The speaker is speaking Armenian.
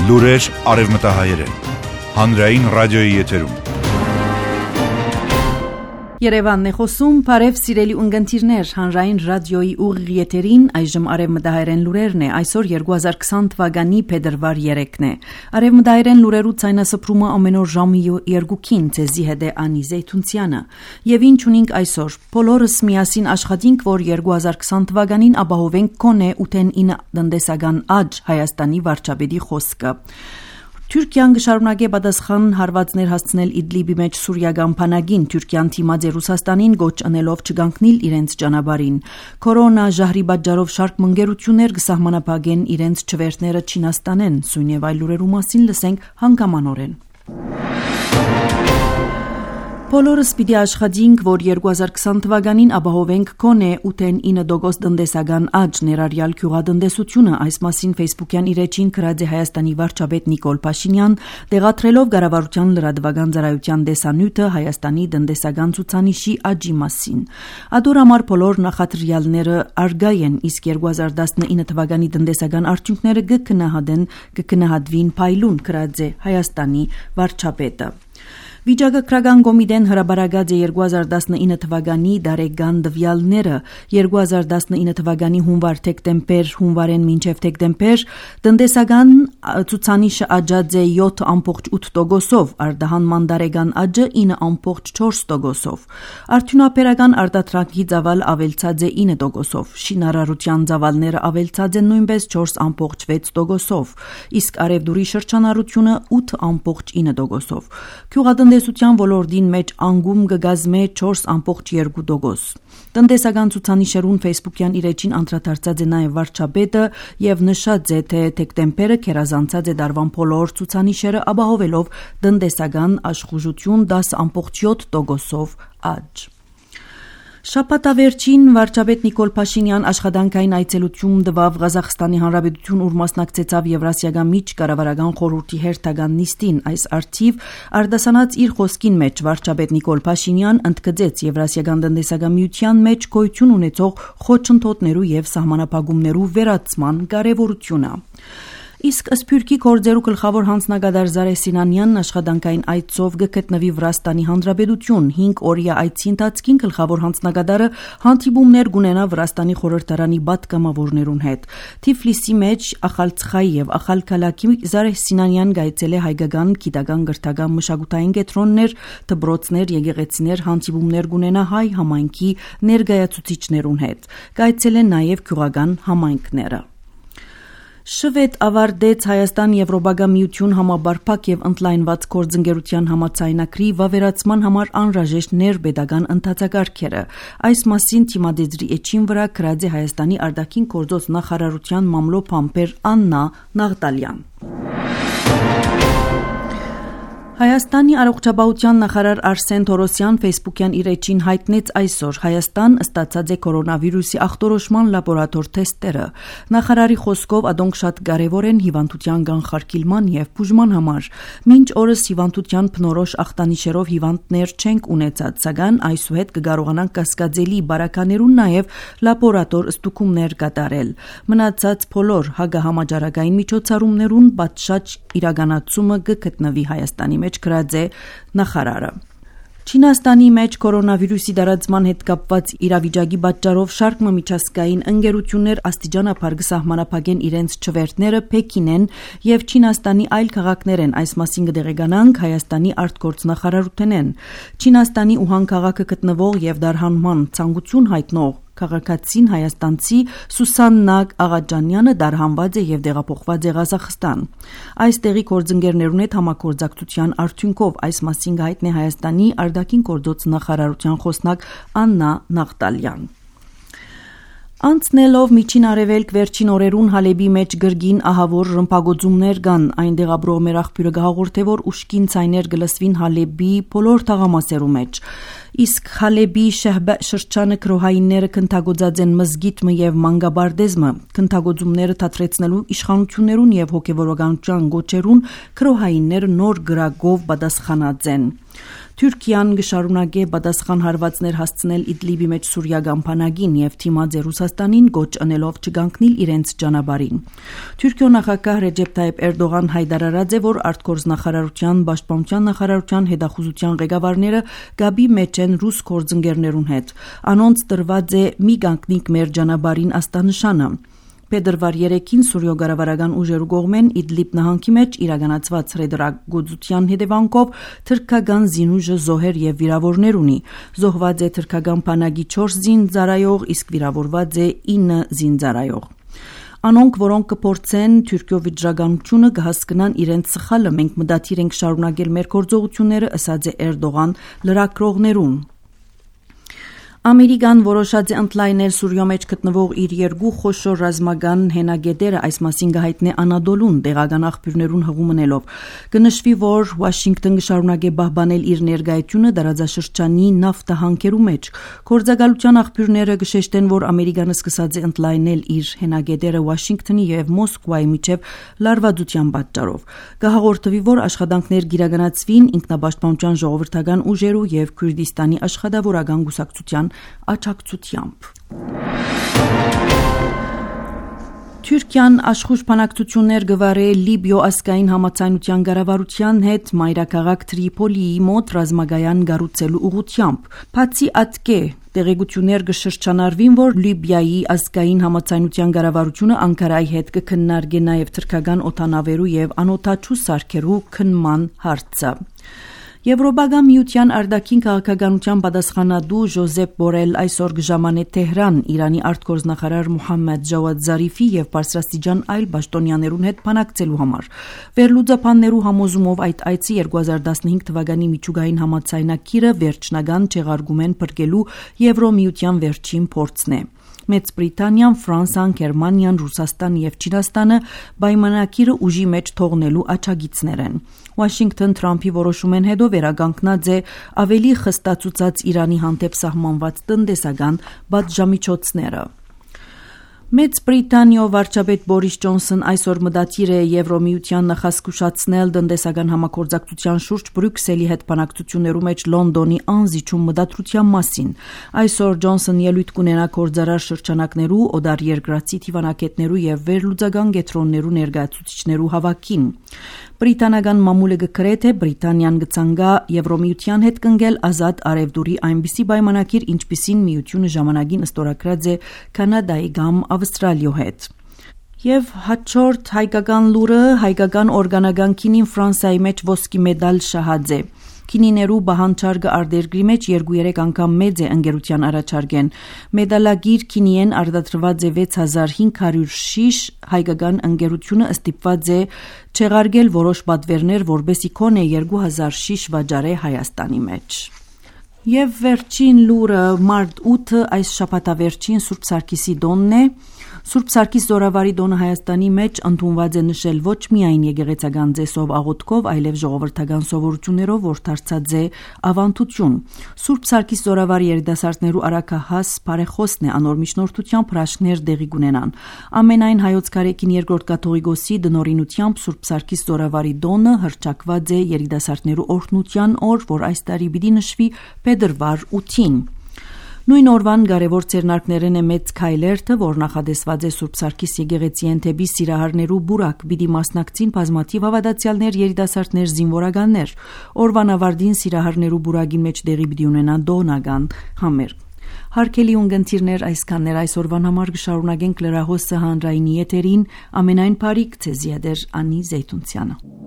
Լուրեր արևմտահայերեն, հանրային ռադիոյի եթերում։ Երևանն է խոսում, բարև սիրելի ունգընտիրներ, հանրային ռադիոյի ուղիղ եթերին այժմ արևմտահայերեն լուրերն է, այսօր 2020 թվականի փետրվար 3-ն է։ Արևմտահայերեն լուրերու ցայնասփռումը ամեն օր ժամը 2-ին ցեզի հետ է Անի Զեյթունցյանը։ Եվ ինչ ունենք այսօր։ Բոլորս միասին աշխատենք, որ 2020 թվականին ապահովենք կոնե 8-9 տնտեսական աճ Հայաստանի վարչապետի խոսքը։ Թուրքիան կշարունակի պատասխան հարվածներ հասցնել Իդլիբի մեջ սուրիական բանակին, Թուրքիան թիմած է Ռուսաստանին գոչ անելով չգանքնել իրենց ճանապարհին։ Կորոնա ժահրի պատճառով շարք մնգերություններ կսահմանափակեն իրենց չվերթները Չինաստանեն, սույն եւ այլ լուրերու մասին լսենք հանգամանորեն։ Բոլորս պիտի աշխատենք, որ 2020 թվականին ապահովենք կոնե 8-9% տնտեսական աճ, ներառյալ գյուղատնտեսությունը, այս մասին Facebook-յան իր էջին գրած է Հայաստանի վարչապետ Նիկոլ Փաշինյան, տեղադրելով կառավարության լրատվական ծառայության տեսանյութը Հայաստանի տնտեսական ցուցանիշի աճի մասին։ Ադոր համար բոլոր նախադրյալները արգայ են, իսկ 2019 թվականի տնտեսական արդյունքները կքննադվին փայլուն, գրած է Հայաստանի վարչապետը։ Վիճակագրական կոմիտեն հրաբարացած է 2019 թվականի դարեկան տվյալները, 2019 թվականի հունվար-դեկտեմբեր, հունվարեն մինչև դեկտեմբեր տնտեսական ցուցանիշը աճած է 7.8%, արտահանման դարեկան աճը 9.4%, արդյունաբերական արտադրանքի ծավալ ավելցած է 9%, շինարարության ծավալները ավելցած են նույնպես 4.6%, իսկ արևդուրի շրջանառությունը 8.9%, տնտեսության ոլորտին մեջ անգում կգազմե 4.2%։ Տնտեսական ցուցանիշերուն Facebook-յան իր էջին անդրադարձած է նաև վարչապետը եւ նշած է, թե դեկտեմբերը քերազանցած է դարվան բոլոր ցուցանիշերը ապահովելով տնտեսական աշխուժություն 10.7%-ով աճ։ Շաբաթավերջին վարչապետ Նիկոլ Փաշինյան աշխատանքային այցելություն տվավ Ղազախստանի Հանրապետություն, ուր մասնակցեցավ Եվրասիական միջկառավարական խորհրդի հերթական նիստին։ Այս արդիվ արտասանած իր խոսքին մեջ վարչապետ Նիկոլ Փաշինյան ընդգծեց Եվրասիական տնտեսական միության մեջ գոյություն ունեցող խոչընդոտներու եւ սահմանափակումներու վերացման կարեւորությունը։ Իսկ Սփյուռքի գործերու գլխավոր հանձնագետար Զարե Սինանյանն աշխատանքային այցով գտնվի Վրաստանի Հանրապետություն 5 օրյա այցի ընթացքին գլխավոր հանձնագետարը հանդիպումներ կունենա Վրաստանի խորհրդարանի պատգամավորներուն հետ։ Թիֆլիսի մեջ Ախալցխայի եւ Ախալքալակի Զարե Սինանյան գայցել է հայկական գիտական գրթական մշակութային կենտրոններ, դպրոցներ, եկեղեցիներ, հանդիպումներ կունենա հայ համայնքի ներկայացուցիչներուն հետ։ Գայցել են նաեւ գյուղական համայնքները։ Շվեդ ավարտեց Հայաստան-Եվրոպական միություն համաբարփակ եւ ընդլայնված գործընկերության համաձայնագրի վավերացման համար անհրաժեշտ ներբեդական ընթացակարգերը։ Այս մասին թիմադեզրի էջին վրա գրած է Հայաստանի արտաքին գործոց նախարարության մամլոփամբեր Աննա Նաղդալյան։ Հայաստանի առողջապահության նախարար Արսեն Թորոսյան Facebook-յան իր էջին հայտնեց այսօր Հայաստան ստացած է կորոնավիրուսի ախտորոշման լաբորատոր թեստերը։ Նախարարի խոսքով ադոնք շատ կարևոր են հիվանդության կանխարգելման եւ բուժման համար։ Մինչ օրս հիվանդության բնորոշ ախտանիշերով հիվանդներ չենք ունեցած, սակայն այսուհետ կկարողանանք կասկածելի բարականերուն նաեւ լաբորատոր ստուգումներ կատարել։ Մնացած բոլոր հագահամաճարակային միջոցառումներուն պատշաճ իրականացումը կգտնվի Հայաստանի մեջ գրած է նախարարը։ Չինաստանի մեջ կորոնավիրուսի տարածման հետ կապված իրավիճակի պատճառով շարք միջազգային ընկերություններ աստիճանաբար կսահմանափակեն իրենց չվերթները Պեկինեն եւ Չինաստանի այլ քաղաքներ են, այս մասին կդեղեկանանք Հայաստանի արտգործնախարարութենեն։ Չինաստանի Ուհան քաղաքը գտնվող եւ դարհանման ցանկություն հայտնող քաղաքացին հայաստանցի Սուսաննա Աղաջանյանը դարհանված է եւ տեղափոխված է Ղազախստան։ Այս տեղի գործընկերներուն հետ համագործակցության արդյունքով այս մասին հայտնի Հայաստանի արտաքին գործոց նախարարության խոսնակ Աննա Նաղդալյան։ Անցնելով միջին արևելք վերջին օրերուն Հալեբի մեջ գրգին ահավոր ռմբագոծումներ կան, այնտեղ ապրող մեր աղբյուրը կհաղորդե, որ ուշքին ցայներ կլսվին Հալեբի բոլոր թաղամասերու մեջ։ Իսկ Հալեբի շրջանը քրոհայինները քննագործած են մզգիթը եւ մանգաբարդեզմը, քննագործումները թատրեցնելու իշխանություններուն եւ հոգեվորականության գոչերուն քրոհայինները նոր գրագով պատասխանած են։ Թուրքիան կշարունակե պատասխան հարվածներ հասցնել Իդլիբի մեջ սուրիական բանակին եւ թիմած է Ռուսաստանին գոչ անելով չգանքնիլ իրենց ճանապարհին։ Թուրքիո նախագահ Ռեջեփ Թայիփ Էրդողան հայտարարած է, որ արտգործնախարարության, պաշտպանության նախարարության, հետախուզության ղեկավարները գաբի մեջ են ռուս գործընկերներուն հետ։ Անոնց տրված է մի գանքնիկ մեր ճանապարհին աստանշանը։ Փետրվար 3-ին Սուրիո գարավարական ուժերու կողմեն Իդլիբ նահանգի մեջ իրականացված ռեդրագործության հետևանքով թրքական զինուժը զոհեր եւ վիրավորներ ունի։ Զոհված է թրքական բանակի 4 զինծառայող, իսկ վիրավորված է 9 զինծառայող։ Անոնք, որոնք կփորձեն Թուրքիո վիճակագրությունը կհասկնան իրենց սխալը, մենք մտադիր ենք շարունակել մեր գործողությունները, ասաց է Էրդողան լրագրողներուն։ Ամերիկան որոշած է ընդլայնել Սուրիո մեջ գտնվող իր երկու խոշոր ռազմական հենագետերը, այս մասին կհայտնի Անադոլուն տեղական աղբյուրներուն հղումնելով։ Կնշվի, որ Վաշինգտոն կշարունակե պահպանել իր ներկայությունը տարածաշրջանի նավթահանքերու մեջ։ Գործակալության աղբյուրները կշեշտեն, որ Ամերիկանը սկսած է ընդլայնել իր հենագետերը Վաշինգտոնի եւ Մոսկվայի միջև լարվածության պատճառով։ Կհաղորդվի, որ աշխատանքներ կիրականացվին ինքնապաշտպանության ժողովրդական ուժերու եւ Քուրդիստանի աշխատավորական կուսակցության աջակցությամբ։ Թուրքիան աշխուժ բանակցություններ գվարե Լիբիո ազգային համացանության կառավարության հետ մայրաքաղաք Տրիպոլիի մոտ ռազմագայան կառուցելու ուղղությամբ։ Բացի ատկե տեղեկություններ կշրջանառվին, որ Լիբիայի ազգային համացանության կառավարությունը Անկարայի հետ կքննարկի նաև թուրքական օդանավերու եւ անօդաչու սարքերու քննման հարցը։ Եվրոպական միության արտաքին քաղաքականության պատասխանատու Ժոզեփ Բորել այսօր կժամանե Թեհրան Իրանի արտգործնախարար Մոհամմեդ Ջավադ Զարիֆի եւ բարձրաստիճան այլ պաշտոնյաներուն հետ բանակցելու համար։ Վերլուծաբաններու համոզումով այդ այցի 2015 թվականի միջուկային համաձայնագիրը վերջնական չեղարկումեն փրկելու Եվրոմիության վերջին փորձն է։ Մեծ Բրիտանիան, Ֆրանսիան, Գերմանիան, Ռուսաստանը եւ Չինաստանը պայմանագիրը ուժի մեջ թողնելու աջակիցներ են։ Վաշինգտոն Թրամփի որոշումեն հետո վերականգնած է ավելի խստացուցած Իրանի հանդեպ սահմանված տնտեսական պատժամիջոցները։ Մեծ Բրիտանիո վարչապետ Բորիս Ջոնսոն այսօր մտադիր է Եվրոմիության նախազգուշացնել տնտեսական համագործակցության շուրջ Բրյուսելի հետ բանակցություններու մեջ Լոնդոնի անզիջում մտադրության մասին։ Այսօր Ջոնսոն ելույթ կունենա գործարար շրջանակներու, օդար երկրացի թիվանակետներու եւ վերլուծական կենտրոններու ներկայացուցիչներու հավաքին։ Բրիտանական մամուլը գկրե թե Բրիտանիան կցանկա Եվրոմիության հետ կնգել ազատ արևդուրի այնպիսի պայմանագիր, ինչպիսին միությունը ժամանակին ստորագրած է Կանադայի կամ Ավստրալիո հետ։ Եվ հաջորդ հայկական լուրը հայկական օրգանական քինին Ֆրանսիայի մեջ ոսկի մեդալ շահած է։ Քինիներու բահանջարկը արտերկրի մեջ 2-3 անգամ մեծ է ընկերության առաջարկեն։ Մեդալագիր քինիեն արտադրված է 6500 շիշ, հայկական ընկերությունը ստիպված է չեղարկել որոշ պատվերներ, որբեսի քոնե 2000 շիշ վաճառե Հայաստանի մեջ։ Եվ վերջին լուրը մարտ 8-ը այս շաբաթավերջին Սուրբ Սարգիսի տոնն է։ Սուրբ Սարգիս զորավարի տոնը Հայաստանի մեջ ընդունված է նշել ոչ միայն եկեղեցական ծեսով աղոթքով, այլև ժողովրդական սովորություններով, որ դարձած է ավանդություն։ Սուրբ Սարգիս զորավարի երիտասարդներու արաքահաս բարեխոսն է անոր միջնորդությամբ հրաշքներ դեղի կունենան։ Ամենայն հայոց կարեկին երկրորդ կաթողիկոսի դնորինությամբ Սուրբ Սարգիս զորավարի տոնը հռչակված է երիտասարդներու օրհնության օր, որ այս տարի պիտի նշվի փետրվար 8-ին։ Նույն օրվան կարևոր ցերնակներն է մեծ քայլերթը, որ նախադեсված է Սուրբ Սարգիս եկեղեցի ընթեպի սիրահարներու բուրակ, պիտի մասնակցին բազմաթիվ հավատացյալներ, երիտասարդներ, զինվորականներ։ Օրվան ավարտին սիրահարներու բուրակի մեջ դեղի պիտի ունենա դոնական համերգ։ Հարգելի ունգընտիրներ, այսքաններ այսօրվան համար կշարունակենք լրահոսը հանրայինի եթերին, ամենայն բարիք ձեզ յետեր Անի Զեյթունցյանը։